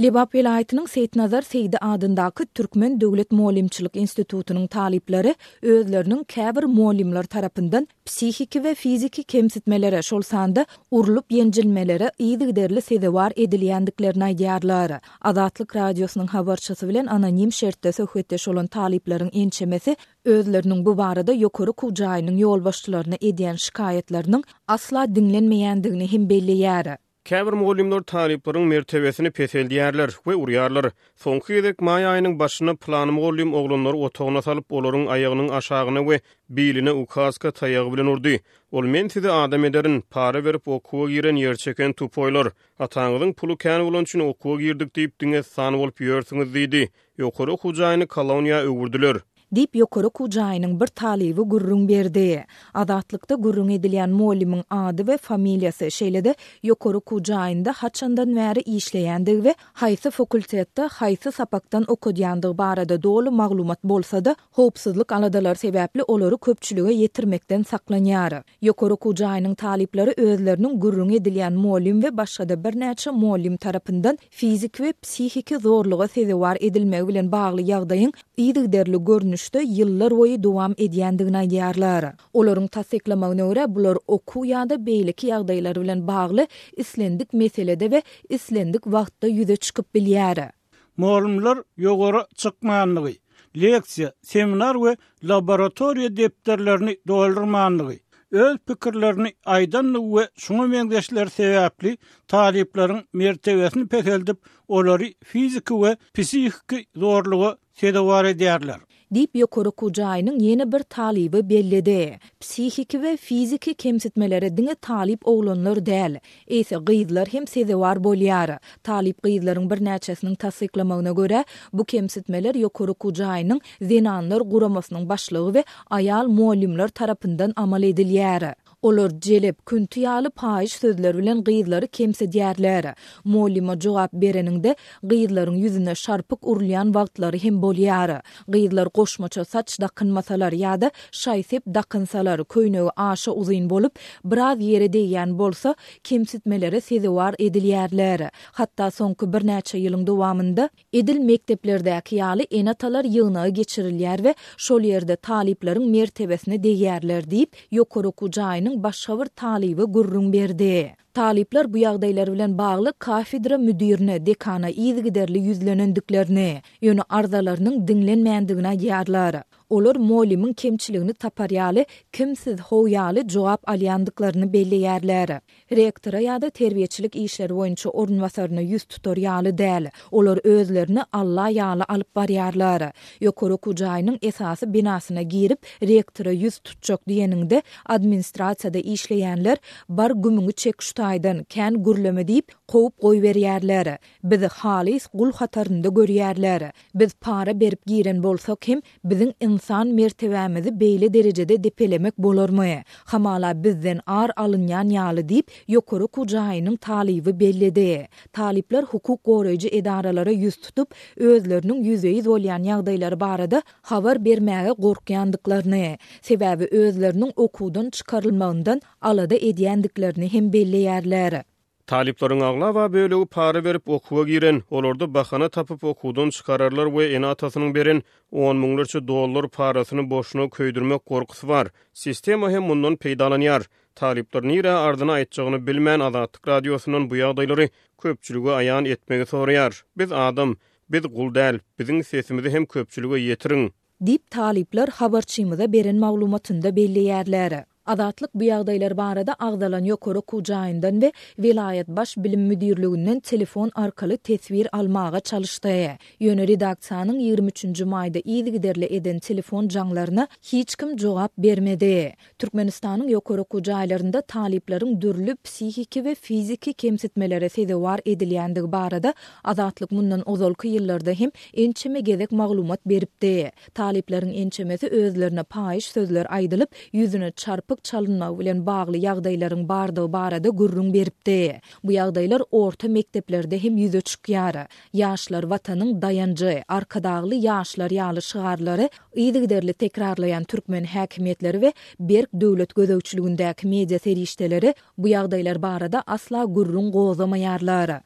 Lebap welaýatynyň Seýitnazar Seýdi adyndaky Türkmen döwlet mugallymçylyk institutynyň talyplary özleriniň käbir mugallymlar tarapyndan psihiki we fiziki kemsitmelere, şol sanda urlup-ýenjilmelere yzygiderli sezewar edilýändiklerini aýdýarlar. Azatlyk Radiosynyň habarçysy bilen anonim şertde söhbetdeş bolan talyplaryň ençemesi özleriniň bu barada ýokary okuw jaýynyň ýolbaşçylaryna edýän şikaýatlarynyň asla diňlenmeýändigini hem belleýär. Käbir mugallymlar talyplaryň mertebesini peseldýärler we urýarlar. Soňky gezek maý aýynyň başynda pylany mugallym oglanlary otagyna salyp, olaryň aýagynyň aşagyna we biline ukaska taýagy bilen urdy. Ol Men sizi adam ederin, para berip okuwa giren ýerçeken tupoýlar. Ataňyzyň puly kän bolany üçin okuwa girdik diýip diňe san bolup ýörsüňiz diýdi. Ýokary okuw jaýyny koloniýa öwürdiler. Diýip, ýokary okuw jaýynyň bir talyby gürrüň berdi. Azatlykda gürrüň edilýän mugallymyň ady we familiýasy, şeýle-de ýokary okuw jaýynda haçandan bäri işleýändigi we haýsy fakultetde haýsy sapakdan okadýandygy barada doly maglumat bolsa-da, howpsuzlyk aladalary sebäpli olary köpçülige ýetirmekden saklanýar. Ýokary okuw jaýynyň talyplary özleriniň gürrüňi edilýän mugallym we başga-da birnäçe mugallym tarapyndan fiziki we psihiki zorluga sezewar edilmegi bilen bagly ýagdaýyň yzygiderli görnüşde ýyllarboýy dowam edýändigini aýdýarlar. Olaryň tassyklamagyna görä, bular okuw ýa-da beýleki ýagdaýlar bilen bagly islendik meselede we islendik wagtda ýüze çykyp bilýär. Mugallymlar ýokary çykmanlygy, leksiýa, seminar we laboratoriýa depderlerini doldurmanlygy, öz pikirlerini aýdanlygy we şuňa meňzeşler sebäpli talyplaryň mertebesini peseldip, olary fiziki we psihiki zorluga sezewar edýärler. Diýip, ýokary okuw jaýynyň ýene bir talyby belledi. Psihiki we fiziki kemsitmelere diňe talyp oglanlar däl, eýse gyzlar hem sezewar bolýar. Talyp gyzlaryň birnäçesiniň tassyklamagyna görä, bu kemsitmeler ýokary okuw jaýynyň Zenanlar guramasynyň başlygy we aýal mugallymlar tarapyndan amal edilýär. Olar jelep, künti ýaly paýyş sözler bilen gyzlary kemsidýärler. Mugallyma jogap bereniňde, gyzlaryň ýüzüne şarpyk urulýan wagtlary hem bolýar. Gyzlar goşmaça saç dakynmasalar ýa-da şaý-sep dakynsalar, köýnegi aşa uzyn bolup, biraz ýere degýän bolsa, kemsitmelere sezewar edilýärler. Hatda soňky birnäçe ýylyň dowamynda, Edil mekdeplerdäki ýaly ene-atalar ýygnagy geçirilýär we şol ýerde talyplaryň mertebesine degýärler diýip, ýokary okuw jaýynyň başga bir talyby gürrüň berdi. Talyplar bu ýagdaýlar bilen bagly kafedra müdirine, dekana yzygiderli ýüzlenendiklerini, ýöne arzalarynyň diňlenmändigini aýdýarlar. Olar mugallymyň kemçiligini tapar ýaly kim siz how ýaly jogap alýandyklaryny belleýärler. Rektora ýa-da terbiýeçilik işleri boýunça orunbasaryna ýüz tutar ýaly däl. Olar özlerini Alla ýaly alyp barýarlar. Ýokary okuw jaýynyň esasy binasyna girip, rektora ýüz tutjak diýeniňde, administrasiýada işleýänler, Bar gümüňi çek şu taýdan, kän gürleme diýip, kowup goýberýärler. Bizi halys gul hatarynda görýärler. Biz para berip giren bolsak hem, biziň ynsan mertebämizi beýle derejede depelemek bolarmy? Hamala bizden ar alynýan ýaly diýip, ýokary okuw jaýynyň talyby belledi. Talyplar hukuk goraýjy edaralara ýüz tutup, özleriniň ýüzbe-ýüz bolýan ýagdaýlary barada habar bermäge gorkýandyklaryny, sebäbi özleriniň okuwdan çykarylmagyndan alada edýändiklerini hem belleýärler. Talyplaryň aglaba bölegi para berip okuwa giren, olarda bahana tapyp okuwdan çykararlar we ene-atasynyň beren on müňlerçe dollar parasyny boşuna köýdürmek gorkusy bar. Sistema hem mundan peýdalanýar. Talyplar nirä arzyny aýtjagyny bilmän Azatlyk Radiosyndan bu ýagdaýlary köpçülige aýan etmegi soraýar. Biz adam, biz gul däl, biziň sesimizi hem köpçülige ýetiriň. Diýip, talyplar habarçymyza beren maglumatynda belleýärler. Azatlyk bu ýagdaýlar barada agzalan ýokary okuw jaýyndan we welaýat baş bilim müdirliginden telefon arkaly teswir almaga çalyşdy. Ýöne redaksiýanyň 23 nji maýda yzygiderli eden telefon jaňlaryna hiç kim jogap bermedi. Türkmenistanyň ýokary okuw jaýlarynda talyplaryň dürli psihiki we fiziki kemsitmelere sezewar edilýändigi barada Azatlyk mundan ozalky ýyllarda hem ençeme gezek maglumat beripdi. Talyplaryň ençemesi özlerine paýyş sözler aýdylyp, ýüzüne çarpyk çalynmagy bilen bagly ýagdaýlaryň bardygy barada gürrüň beripdi. Bu ýagdaýlar orta mekdeplerde hem ýüze çykýar. Ýaşlar Watanyň daýanjy, Arkadagly ýaşlar ýaly şygarlary yzygiderli tekrarlaýan türkmen häkimiýetleri we berk döwlet gözegçiligindäki media serişdeleri bu ýagdaýlar barada asla gürrüň gozgamaýarlar.